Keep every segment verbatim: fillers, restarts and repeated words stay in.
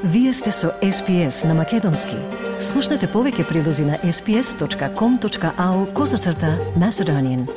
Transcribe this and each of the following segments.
Вие сте со Ес Пи Ес на Македонски. Слушнете повеќе прилози на ес пи ес точка ком точка ау козацрта Macedonian.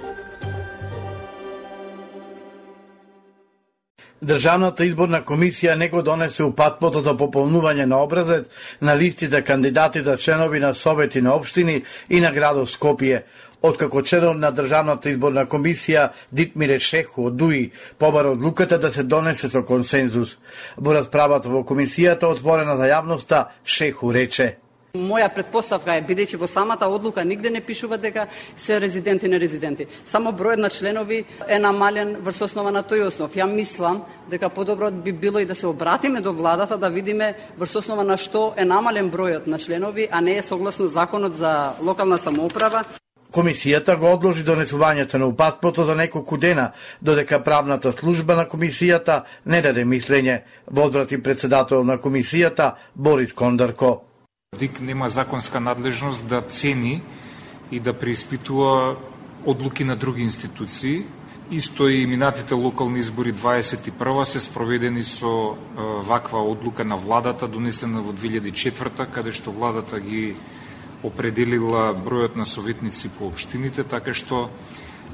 Државната изборна комисија не го донесе упатството за пополнување на образец на листите кандидати за членови на совети на општини и на градот Скопје. Откако членот на Државната изборна комисија Дитмире Шеху од ДУИ побара одлуката да се донесе со консензус. Во расправата во комисијата отворена за јавноста, Шеху рече: Моја претпоставка е, бидејќи во самата одлука нигде не пишува дека се резиденти и нерезиденти. Само бројот на членови е намален врз основа на тој основ. Ја мислам дека подобро би било и да се обратиме до владата да видиме врз основа на што е намален бројот на членови, а не е согласно законот за локална самоуправа. Комисијата го одложи донесувањето на упатството за неколку дена, додека правната служба на комисијата не даде мислење, возврати председател на комисијата Борис Кондарко. ДИК нема законска надлежност да цени и да преиспитува одлуки на други институции. Исто и минатите локални избори дваесет и прва се спроведени со е, ваква одлука на владата, донесена во две илјади и четврта, каде што владата ги определила бројот на советници по општините, така што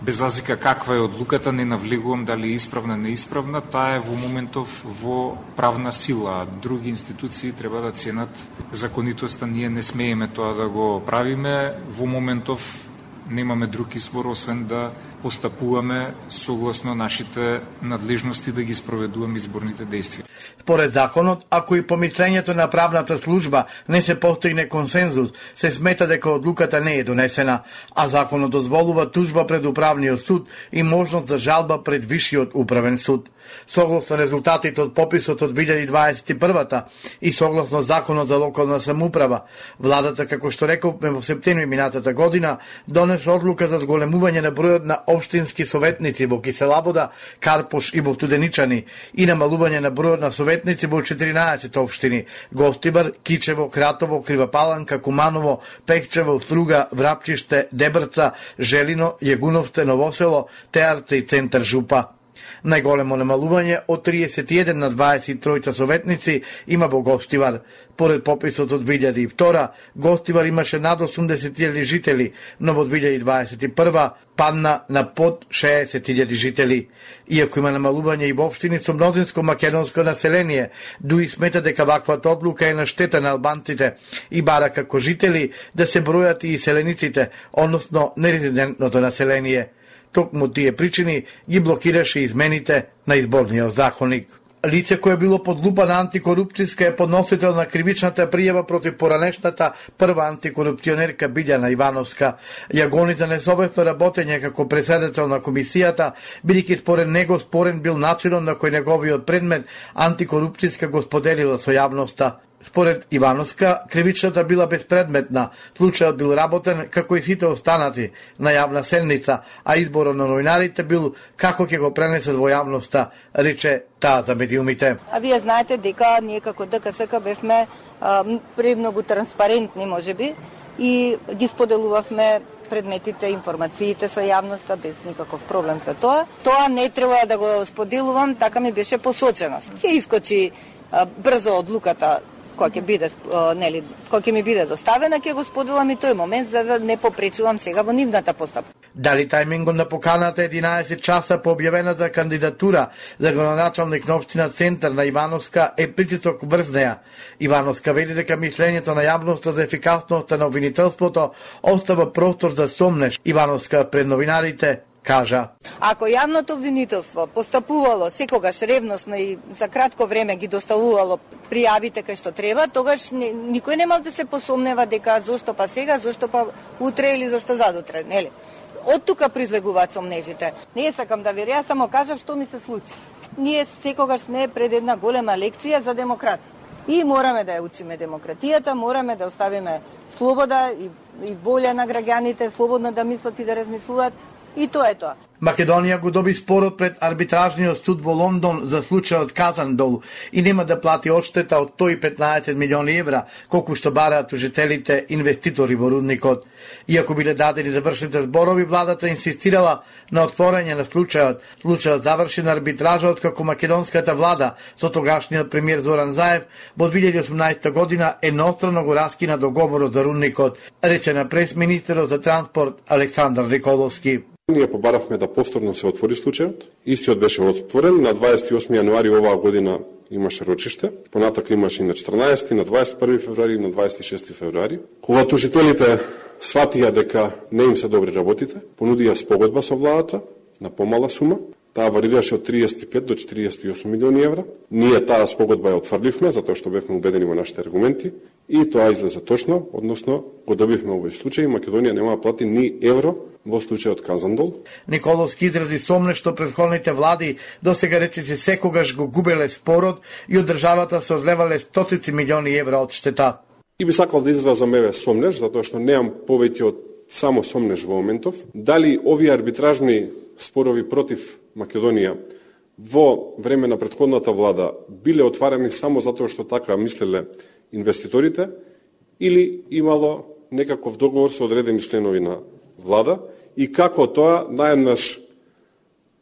без разлика каква е одлуката, не навлегувам дали е исправна, неисправна, таа е во моментов во правна сила. Други институции треба да ценат законитоста, ние не смееме тоа да го правиме. Во моментов немаме друг избор, освен да постапуваме согласно нашите надлежности да ги спроведуваме изборните действија. Според законот, ако и помислењето на правната служба не се постигне консензус, се смета дека одлуката не е донесена, а законот дозволува тужба пред управниот суд и можност за жалба пред вишиот управен суд. Согласно резултатите од пописот од две илјади дваесет и прва и согласно законот за локална самоуправа, владата, како што рековме во септември минатата година, донесе одлука за зголемување на бројот на општински советници во Киселавода, Карпош и во Студеничани и намалување на бројот на советници во четиринаесет општини: Гостибар, Кичево, Кратово, Кривапаланка, Куманово, Пехчево, Струга, Врапчиште, Дебрца, Желино, Јегуновте, Новосело, Теарце и Центар Жупа. Најголемо намалување од триесет и еден на дваесет и тројца советници има во Гостивар. Поред пописот од две илјади и втора, Гостивар имаше над осумдесет илјади жители, но во две илјади дваесет и прва падна на под шеесет илјади жители. Иако има намалување и во општини со мнозинско македонско население, ДУИ смета дека ваквата одлука е на штета на албанците и бара како жители да се бројат и селениците, односно нерезидентното население. Токму тие причини ги блокираше измените на изборниот законник. Лице кое било под лупа на антикорупцијска е подносител на кривичната пријава против поранешната прва антикорупционерка Билјана Ивановска. Ја гони за несовесно работење како председател на комисијата, бидејќи според него спорен бил начинот на кој неговиот предмет антикорупцијска го споделила со јавноста. Според Ивановска, кривичната била безпредметна, случајот бил работен како и сите останати на јавна седница, а изборот на новинарите бил како ќе го пренесат во јавноста, рече таа за медиумите. А вие знаете дека ние како ДКСК бевме а, премногу транспарентни, можеби, и ги споделувавме предметите, информациите со јавноста без никаков проблем за тоа. Тоа не треба да го споделувам, така ми беше посочено. Ќе искочи а, брзо одлуката која ќе биде, нели, која ќе ми биде доставена, ќе го споделам и тој момент за да не попречувам сега во нивната постапка. Дали тајмингот на поканата единаесет часа по објавена за кандидатура за градоначалник на општина Центар на Ивановска е притисок врз неја. Ивановска вели дека мислењето на јавноста за ефикасноста на обвинителството остава простор за сомнеш. Ивановска пред новинарите кажа: Ако јавното обвинителство постапувало секогаш ревносно и за кратко време ги доставувало пријавите кај што треба, тогаш не, никој нема да се посомнева дека зошто па сега, зошто па утре или зошто задутре, нели? Од тука произлегуваат сомнежите. Не сакам да веря, само кажав што ми се случи. Ние секогаш сме пред една голема лекција за демократ. И мораме да ја учиме демократијата, мораме да оставиме слобода и, и волја на граѓаните, слободно да мислат и да размислуваат. И тоа е тоа. Македонија го доби спорот пред арбитражниот суд во Лондон за случајот Казандол и нема да плати одштета од сто и петнаесет милиони евра, колку што бараат тужителите инвеститори во рудникот. Иако биле дадени завршните зборови, владата инсистирала на отворање на случајот. Случајот заврши на арбитража откако македонската влада со тогашниот премиер Зоран Заев во две илјади и осумнаесета година еднострано го раскина договорот за рудникот, рече на прес-министерот за транспорт Александар Николовски. Ние побаравме да повторно се отвори случајот. Истиот беше отворен на дваесет и осми јануари оваа година, имаше рочиште. Понатака имаше и на четрнаесети, на дваесет и први февруари и на дваесет и шести февруари. Кога тужителите сватија дека не им се добри работите, понудија спогодба со владата на помала сума. Таа варираше од триесет и пет до четириесет и осум милиони евра. Ние таа спогодба ја отфрливме, затоа што бевме убедени во нашите аргументи и тоа излезе точно, односно го добивме овој случај и Македонија нема да плати ни евро во случајот Казандол. Николовски изрази сомнеш што претходните влади досега речиси секогаш го губеле спорот и од државата се одлевале стотици милиони евра од штета. И би сакал да изразам еве сомнеш, затоа што немам повеќе од само сомнеш во моментов. Дали овие арбитражни спорови против Македонија во време на претходната влада биле отварани само затоа што така мислеле инвеститорите или имало некаков договор со одредени членови на влада и како тоа наеднаш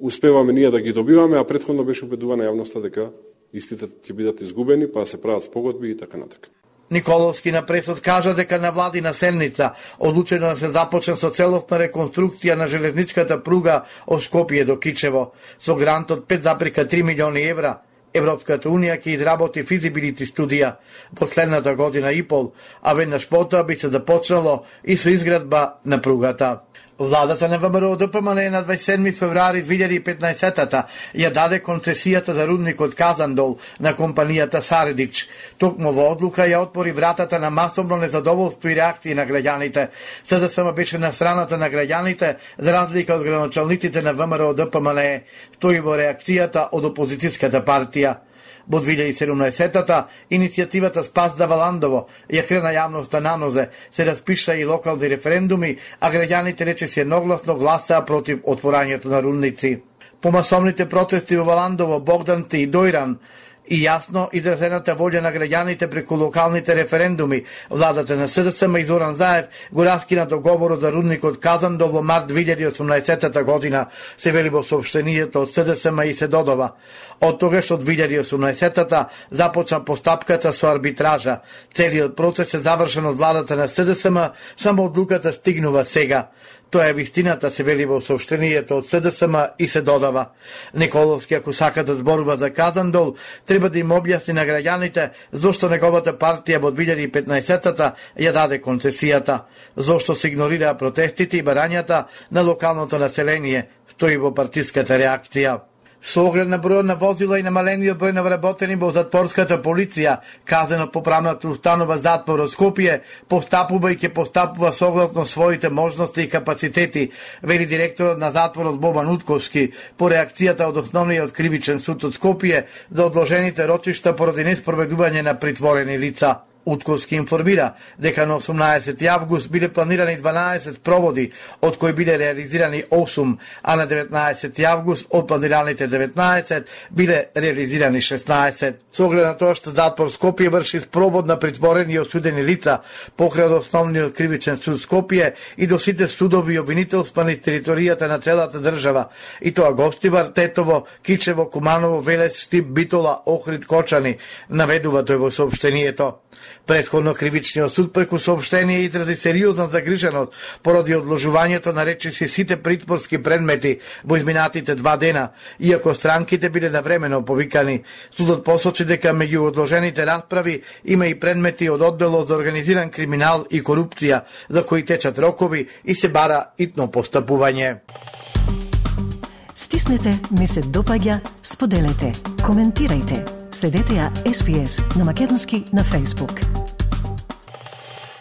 успеваме ние да ги добиваме, а претходно беше убедувана јавноста дека истите ќе бидат изгубени, па се прават спогодби и така натака. Николовски на пресот кажа дека на владина седница одлучено да се започне со целосна реконструкција на железничката пруга од Скопје до Кичево. Со грант од пет зарем три милиони евра, Европската унија ќе изработи физибилити студија во следната година и пол, а веднаш потоа би се започнало и со изградба на пругата. Владата на ВМРО Д П М Н на дваесет и седми февруари две илјади и петнаесета ја даде концесијата за рудникот Казандол на компанијата Саредич. Токму во одлука ја отвори вратата на масовно незадоволство и реакции на граѓаните. С Д С М беше на страната на граѓаните, за разлика од граначалниците на ВМРО Д П М Н, стои во реакцијата од опозицијската партија. Во две илјади и седумнаесета иницијативата Спас да Валандово ја крена јавноста на нозе, се распиша и локални референдуми, а граѓаните речиси едногласно гласаа против отворањето на рудници. По масовните протести во Валандово, Богданти и Дојран и јасно изразената волја на граѓаните преку локалните референдуми, владата на С Д С М и Зоран Заев го раскина договорот за рудникот Казандол во март две илјади и осумнаесета година, се вели во соопштението од С Д С М и се додава. Од тогаш од две илјади и осумнаесета започна постапката со арбитража. Целиот процес е завршен од владата на С Д С М, само одлуката стигнува сега. Тоа е вистината, се вели во соопштението од С Д С М и се додава. Николовски, ако сака да зборува за Казандол, треба да им објасни на граѓаните зошто неговата партија во две илјади и петнаесета ја даде концесијата, зошто се игнорираа протестите и барањата на локалното население, стои во партиската реакција. Со оглед на бројот на возила и намалениот број на вработени во затворската полиција, казано поправната установа затвор од Скопје, постапува и ќе постапува согласно своите можности и капацитети, вели директорот на затворот Бобан Утковски, по реакцијата од Основниот кривичен суд од Скопје за одложените рочишта поради неспроведување на притворени лица. Утковски информира дека на осумнаесети август биле планирани дванаесет проводи, од кои биле реализирани осум, а на деветнаесети август од планираните деветнаесет биле реализирани шеснаесет. Со оглед на тоа што затвор Скопје врши спровод на притворени и осудени лица покрај од Основниот кривичен суд Скопје и до сите судови и обвинителства на територијата на целата држава, и тоа Гостивар, Тетово, Кичево, Куманово, Велес, Штип, Битола, Охрид, Кочани, наведува тој во соопштението. Претходно кривичниот суд преку соопштение изрази сериозна загриженост поради одложувањето на речиси сите притворски предмети во изминатите два дена, иако странките биле навремено повикани. Судот посочи дека меѓу одложените расправи има и предмети од одделот за организиран криминал и корупција, за кои течат рокови и се бара итно постапување. Стиснете, ми се допаѓа, споделете, коментирајте. Следете ја Ес Би Ес на македонски на Facebook.